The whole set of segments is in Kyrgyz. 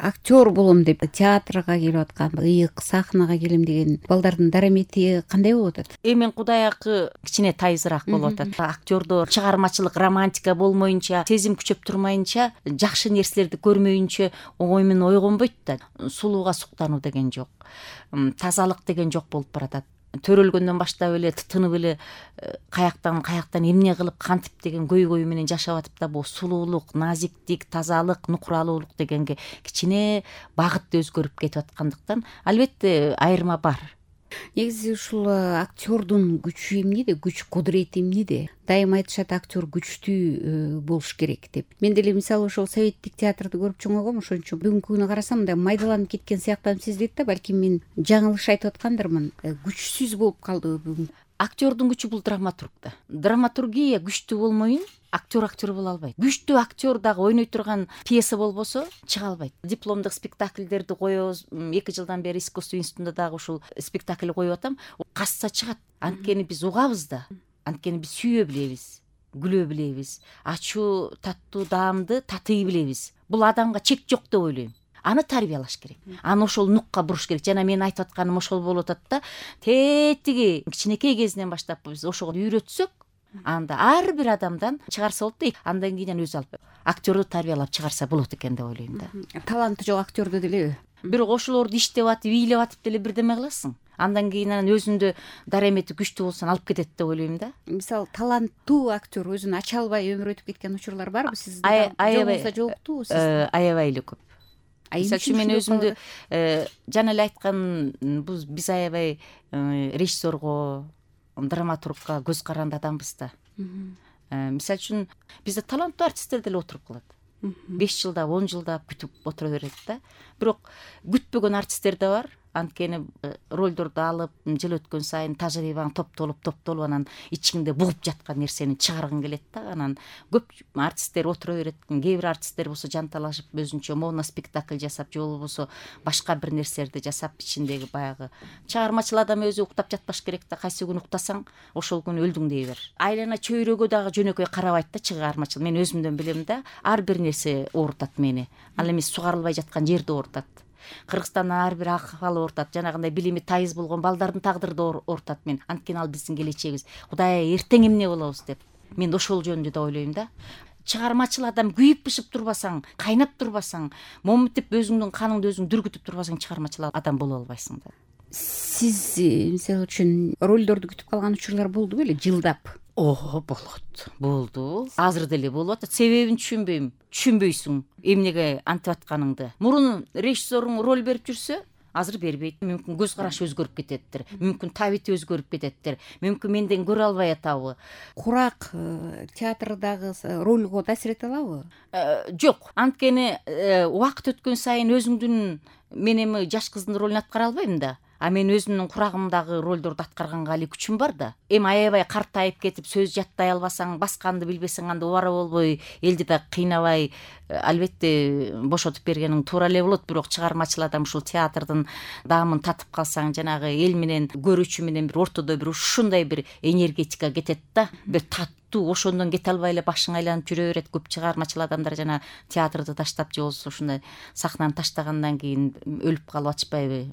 актер болом деп театрга келип аткан, ыйык сахнага келем деген балдардын дарамети кандай болуп атат? Эми Кудай акы кичине тайызыраак болуп атат. Актердор чыгармачылык романтика болмоюнча, сезим күчөп турмайынча, жакшы нерселерди көрмөйүнчө оңой менен ойгонбойт да. Сулууга суктануу деген жок, тазалык деген жок болуп баратат. Төрөлгөндөн баштап эле тытынып эле каяктан эмне кылып кантип деген көйгөй менен жашап атып да, бул сулуулук, назиктик, тазалык, нукуралуулук дегенге кичине багыт өзгөрүп кетип аткандыктан албетте айырма бар. Негизи ушул актердун күчү эмнеде, күч кудурети эмнеде? Дайыма айтышат, актер күчтүү болуш керек деп. Мен деле мисалы ошол советтик театрды көрүп чоңойгом, ошон үчүн бүгүнкү күнү карасам мындай майдаланып кеткен сыяктанып сезилет да, балким мен жаңылыш айтып аткандырмын. Күчсүз болуп калды бүгүн. Актердун күчү бул драматургда. Драматургия күчтүү болмойун актер боло албайт. Күчтүү актер дагы ойной турган пьеса болбосо чыга албайт. Дипломдук спектакльдерди коебуз. 2 жылдан бери искусство институтунда дагы ушул спектакль коюп атам. Касса чыгат. Анткени биз угабыз да. Анткени биз сүйө билебиз, күлө билебиз, ачуу, таттуу даамды татый билебиз. Бул адамга чек жок деп ойлойм. Аны тарбиялаш керек. Аны ошол нукка буруш керек. Жана мен айтып атканым ошол болуп атат да. Тетиги кичинекей кезинен баштап биз ошого үйрөтсөк, анда ар бир адамдан чыгарса болот да. Андан кийин өзү алып актерду тарбиялап чыгарса болот экен деп ойлойм да. Таланты жок актерду делеби? Бирок ошолорду иштеп атып, бийлеп атып деле бирдеме кыласың. Андан кийин анан өзүндө дарамети күчтүү болсо алып кетет деп ойлойм да. Мисалы таланттуу актер өзүн ача албай өмүр өтүп кеткен учурлар барбы сизде? Аябай жокту сизде? Аябай эле көп. Мисалы үчүн мен өзүмдү жана эле айткан, биз аябай режиссерго, драматургка көз каранды адамбыз да. Мисалы үчүн бизде таланттуу артисттер деле отуруп калат. 5 жылдап, 10 жылдап күтүп отура берет да. Бирок күтпөгөн артисттер да бар. Анткени ролдорду алып, жыл өткөн сайын тажрыйбаң топтолуп анан ичиңде бугуп жаткан нерсени чыгаргың келет да. Анан көп артисттер отура берет. Кээ бир артисттер болсо жанталашып өзүнчө моноспектакль жасап, же болбосо башка бир нерселерди жасап, ичиндеги баягы чыгармачыл адам өзү уктап жатпаш керек да. Кайсы күнү уктасаң, ошол күнү өлдүң дей бер. Айлана чөйрөгө дагы жөнөкөй карабайт да чыгармачыл. Мен өзүмдөн билем да. Ар бир нерсе оорутат мени. Ал эми сугарылбай жаткан жерди оорутат. Кыргызстандын ар бир акыбалы оорутат. Жанагындай билими тайыз болгон балдардын тагдыры да оорутат мен. Анткени ал биздин келечегибиз. Кудай эртең эмне болобуз деп. Мен ошол жөнүндө да ойлойм да. Чыгармачыл адам күйүп бышып турбасаң, кайнап турбасаң, моминтип өзүңдүн каныңды өзүң дүргүтүп турбасаң, чыгармачыл адам боло албайсың да. Сиз мисалы үчүн ролдорду күтүп калган учурлар болду беле жылдап? Болот. Болду. Азыр деле болуп атат. Себебин түшүнбөйм. Түшүнбөйсүң эмнеге антип атканыңды. Мурун режиссеруң роль берип жүрсө, азыр бербейт. Мүмкүн көз карашы өзгөрүп кететтир. Мүмкүн табити өзгөрүп кететтир. Мүмкүн менден көрө албай атабы. Курак театрдагы ролго таасир эте алабы? Жок. Анткени убакыт өткөн сайын өзүңдүн, мен эми жаш кыздын ролун аткара албайм да. А мен өзүмдүн курагымдагы ролдорду аткарганга али күчүм бар да. Эми аябай картайып кетип, сөз жаттай албасаң, башканды билбесең, анда убара болбой, элди да кыйнабай, албетте бошотуп бергениң туура эле болот. Бирок чыгармачыл адам ушул театрдын даамын татып калсаң, жанагы эл менен көрүүчү менен бир ортодо бир ушундай бир энергетика кетет да. Бир ошондон кете албай эле башың айланып жүрө берет. Көп чыгармачыл адамдар жана театрды таштап, же болбосо ушундай сахнаны таштагандан кийин өлүп калып атышпайбы?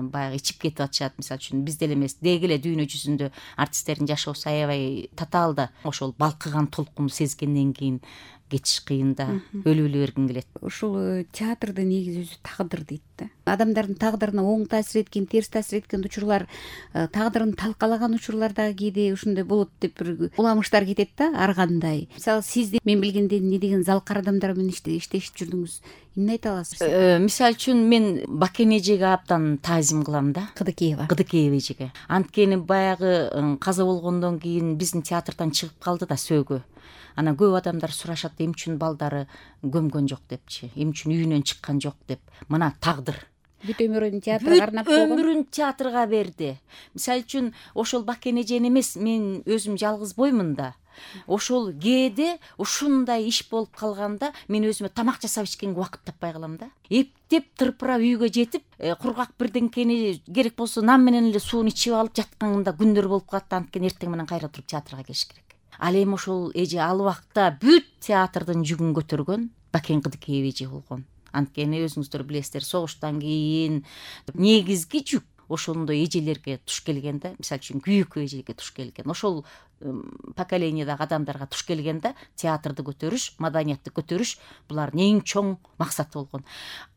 Баягы ичип кетип атышат. Мисалы үчүн бизде эле эмес, деги эле дүйнө жүзүндө артисттердин жашоосу аябай татаал да. Ошол балкыган толкунду сезгенден кийин кетиш кыйын да. Өлүп эле бергиң келет. Ушул театрдын негизи өзү тагдыр дейт да. Адамдардын тагдырына оң таасир эткен, терс таасир эткен учурлар, тагдырын талкалаган учурлар дагы кээде ушундай болот деп бир уламыштар кетет да, ар кандай. Мисалы сизди мен билгенде эмне деген залкар адамдар менен иштешип жүрдүңүз. Эмне айта аласыз? Мисалы үчүн мен Бакен эжеге абдан таазим кылам да. Кыдыкеева эжеге. Анткени баягы каза болгондон кийин биздин театрдан чыгып калды да сөөгө. Анан көп адамдар сурашат, эмне үчүн балдары көмгөн жок депчи, эмне үчүн үйүнөн чыккан жок деп. Мына тагдыр. Бүт өмүрүн театрга арнап койгон. Өмүрүн театрга берди. Мисалы үчүн ошол Бакен эжени эмес, мен өзүм жалгыз боймун да. Ошол кээде ушундай иш болуп калганда мен өзүмө тамак жасап ичкенге убакыт таппай калам да. Эптеп тырпырап үйгө жетип, кургак бирдеңкени керек болсо нам менен эле сууну ичип алып жатканымда күндөр болуп калат. Анткени эртең менен кайра туруп театрга келиш керек. Ал эми ошол эже ал убакта бүт театрдын жүгүн көтөргөн Бакен Кыдыкеева эже болгон. Анткени өзүңүздөр билесиздер, согуштан кийин негизги жүк ошондой эжелерге туш келген да. Мисалы үчүн күйөөккө эжеге туш келген. Ошол поколениядагы адамдарга туш келген да. Театрды көтөрүш, маданиятты көтөрүш булардын эң чоң максаты болгон.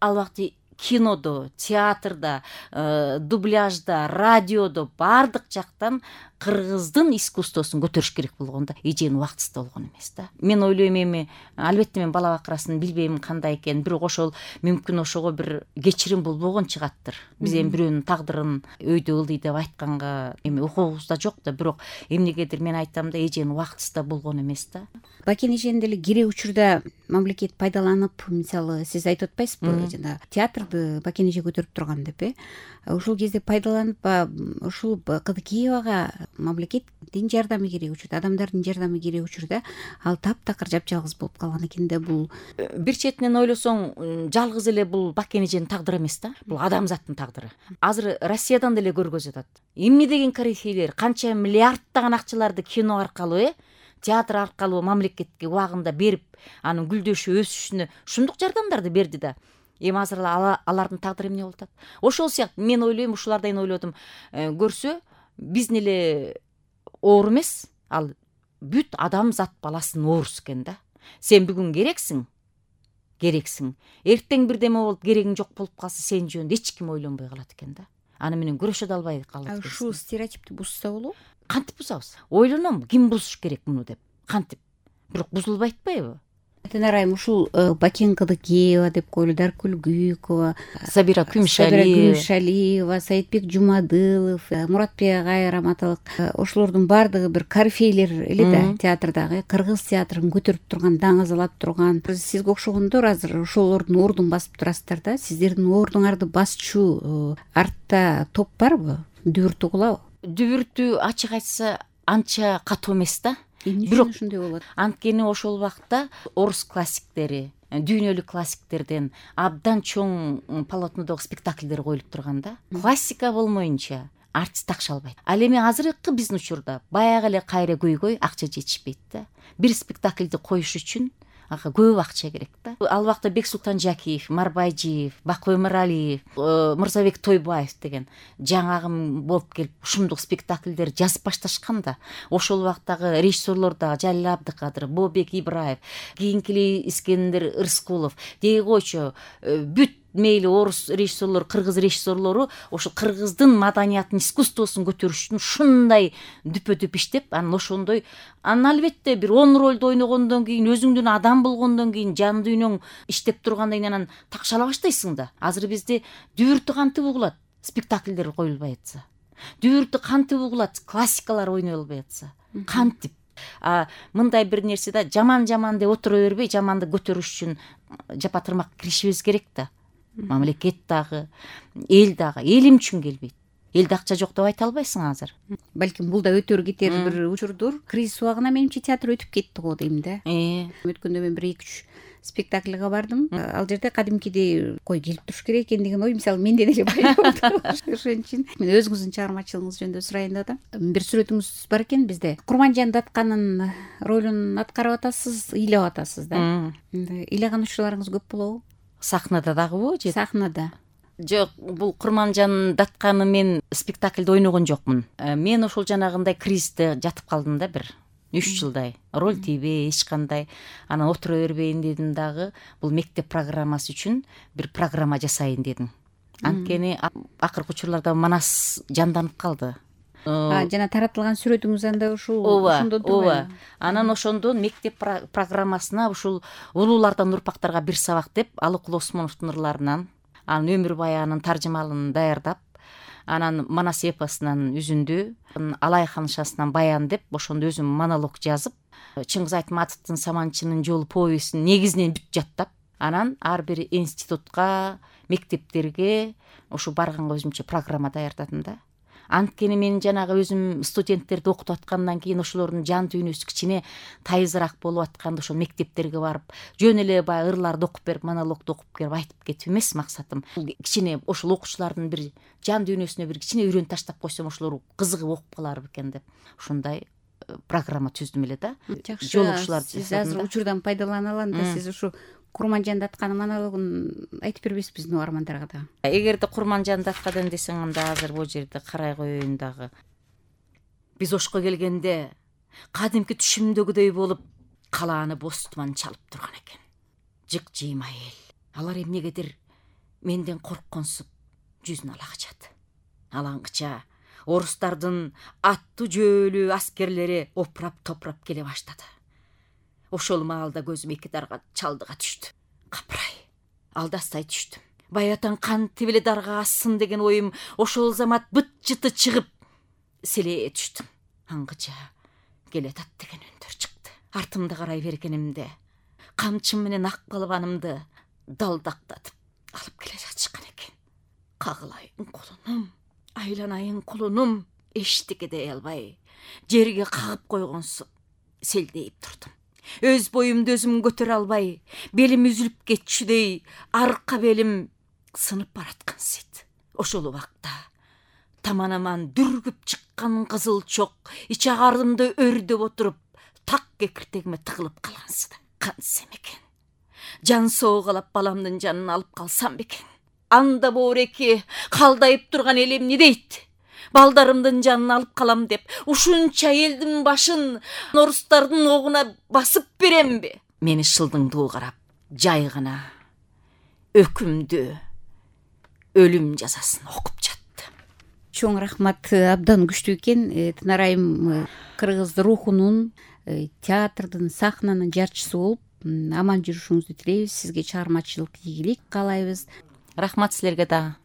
Ал убакта кинодо, театрда, дубляжда, радиодо баардык жактан кыргыздын искусствосун көтөрүш керек болгон да. Эженин убактысы болгон эмес да. Мен ойлойм эми албетте мен бала бакырасын билбейм кандай экенин, бирок ошол мүмкүн ошого бир кечирим болбогон чыгаттыр. Биз эми бирөөнүн тагдырын өйдө ылдый деп айтканга эми укугубузда жок да, бирок эмнегедир мен айтам да, эженин убактысы да болгон эмес да. Бакен эжени деле керек учурда мамлекет пайдаланып, мисалы сиз айтып атпайсызбы, жана театрды Бакен эже көтөрүп турган деп, ошол кезде пайдаланып ушул Кыдыкеевага мамлекеттин жардамы керек учурда, адамдардын жардамы керек учурда ал таптакыр жапжалгыз болуп калган экен да. Бул бир четинен ойлосоң жалгыз эле бул Бакен эженин тагдыры эмес да, бул адамзаттын тагдыры. Азыр Россиядан деле көргөзүп атат. Эмне деген корифейлер канча миллиарддаган акчаларды кино аркылуу, театр аркылуу мамлекетке убагында берип, анын гүлдөшүп өсүшүнө ушундук жардамдарды берди да. Эми азыр алардын тагдыры эмне болуп атат? Ошол сыяктуу мен ойлойм, ушулардан ойлодум, көрсө биздин эле оор эмес, ал бүт адамзат баласынын оорусу экен да. Сен бүгүн керексиң, эртең бирдеме болуп керегиң жок болуп калса, сен жөнүндө эч ким ойлонбой калат экен да. Аны менен күрөшө да албай калат. Ушул стереотипти бузса болобу? Кантип бузабыз? Ойлоном, ким бузуш керек муну деп. Кантип? Бирок бузулбай атпайбы? Арайым ушул Бакен Кыдыкеева деп коелу, Даркүл Күйүкова, Сабира Күмүшалиева, Саитбек Жумадылов, Муратбек Агай раматылык, ошолордун баардыгы бир корифейлер эле да, театрдагы кыргыз театрын көтөрүп турган, даңазалап турган. Сизге окшогондор азыр ошолордун ордун басып турасыздар да. Сиздердин ордуңарды басчу артта топ барбы? Дүбүртү угулабы? Дүбүртү ачык айтса анча катуу эмес да. Бирок ушундай болот. Анткени ошол убакта орус классиктери, дүйнөлүк классиктерден абдан чоң полотнодогу спектакльдер коюлуп турган да. Классика болмоюнча артист акча албайт. Ал эми азыркы биздин учурда баягы эле кайра көйгөй акча жетишпейт да. Бир спектакльди коюш үчүн көп акча керек да. Ал убакта Бексултан Жакиев, Марбайжиев, Бакой Мыралиев, Мырзабек Тойбаев деген жаңы агым болуп келип ушундук спектакльдер жазып башташкан да. Ошол убактагы режиссерлор да Жалил Абдыкадыр, Бобек Ибраев, кийинки Искендер Ырскулов деги койчу бүт мейли орус режиссерлор, кыргыз режиссерлору ошол кыргыздын маданиятын, искусствосун көтөрүш үчүн ушундай дүпө-дүп иштеп, анан ошондой, анан албетте бир 10 ролду ойногондон кийин, өзүңдүн адам болгондон кийин, жан дүйнөң иштеп тургандан кийин анан такшала баштайсың да. Азыр бизде дүбүртү кантип угулат? Спектакльдер коюлбай атса. Дүбүртү кантип угулат? Классикалар ойнолбой атса. Кантип? Мындай бир нерсе да, жаман деп отура бербей, жаманды көтөрүш үчүн жапа-тырмак киришибиз керек да. Мамлекет дагы, эл дагы. Элим үчүн келбейт. Элде акча жок деп айта албайсың азыр. Балким бул да өтөр кетер бир учурдур. Кризис убагына менимче театр өтүп кетти го дейм да. Өткөндө мен 1-2-3 спектакльга бардым. Ал жерде кадимкидей кой келип туруш керек экен деген ой мисалы менде деле пайда болду. Ошон үчүн мен өзүңүздүн чыгармачылыгыңыз жөнүндө сурайын деп атам. Бир сүрөтүңүз бар экен бизде. Курманжан Датканын ролун аткарып атасыз, ыйлап атасыз да. Ыйлаган учурларыңыз көп болобу? Сахнада дагыбы же? Сахнада. Жок, бул Курманжан Датканы мен спектакльде ойногон жокмун. Мен ошол жанагындай кризисте жатып калдым да бир 3 жылдай. Роль тийбей, эч кандай. Анан отура бербейин дедим дагы, бул мектеп программасы үчүн бир программа жасайын дедим. Анткени акыркы учурларда Манас жанданып калды. Жана таратылган сүрөтүңүз анда ошондон турбайбы? Анан ошондон мектеп программасына ушул улуулардан урпактарга бир сабак деп Алыкул Осмоновдун ырларынан, анын өмүр баянын таржымалын даярдап, анан Манас эпосунан үзүндү, Алай ханышасынан баян деп ошондо өзүм монолог жазып, Чыңгыз Айтматовдун Саманчынын жолу повестин негизинен бүт жаттап, анан ар бир институтка, мектептерге ушу барганга өзүмчө программа даярдадым да. Анткени мен жанагы өзүм студенттерди окутуп аткандан кийин ошолордун жан дүйнөсү кичине тайызыраак болуп атканда ошол мектептерге барып, жөн эле баягы ырларды окуп берип, монологду окуп берип айтып кетип эмес максатым. Кичине ошол окуучулардын бир жан дүйнөсүнө бир кичине үйрөнүп таштап койсом, ошолор кызыгып окуп калар бекен деп ушундай программа түздүм эле да. Жакшы. Сиз азыр учурдан пайдалана алам да, сиз ушу Курманжанды атканын монологун айтып бербейсизби угармандарга да? Эгерде Курманжанды аткадан десең, анда азыр бул жерде карай коеюн дагы. Биз Ошко келгенде кадимки түшүмдөгүдөй болуп калааны боз туман чалып турган экен. Жык-жыйма эл. Алар эмнегедир менден коркконсуп жүзүн ала качат. Алаңгыча орустардын аттуу жөөлүү аскерлери опурап топурап келе баштады. Ошол маалда көзүм эки дарга чалдыга түштү. Капырай, алдастай түштүм. Баятан кантип эле дарга ассын деген оюм ошол замат быт-жыты чыгып селее түштүм. Аңгыча келатат деген үндөр чыкты. Артымда карай бергенимде камчым менен ак балбанымды далдактатып алып келе жатышкан экен. Кагылайын кулунум, айланайын кулунум, эчтеке дей албай жерге кагып койгонсуп селдейип турдум. Өз боюмду өзүм көтөрө албай, белим үзүлүп кетчүдөй, арка белим сынып бараткансыйт. Ошол убакта таманаман дүргүп чыккан кызыл чок ич агаарымды өрдөп отуруп, так кекиртегиме тыгылып калгансыда. Кантсем экен, жан соогалап баламдын жанын алып калсам бекен. Анда боореки калдайып турган эл эмне дейт? Балдарымдын жанын алып калам деп ушунча элдин башын орустардын огуна басып беремби? Мени шылдыңдуу карап, жай гана өкүмдү, өлүм жазасын окуп жатты. Чоң рахмат, абдан күчтүү экен. Тынар айым кыргыз рухунун, театрдын, сахнанын жарчысы болуп аман жүрүшүңүздү тилейбиз. Сизге чыгармачылык ийгилик каалайбыз. Рахмат силерге да.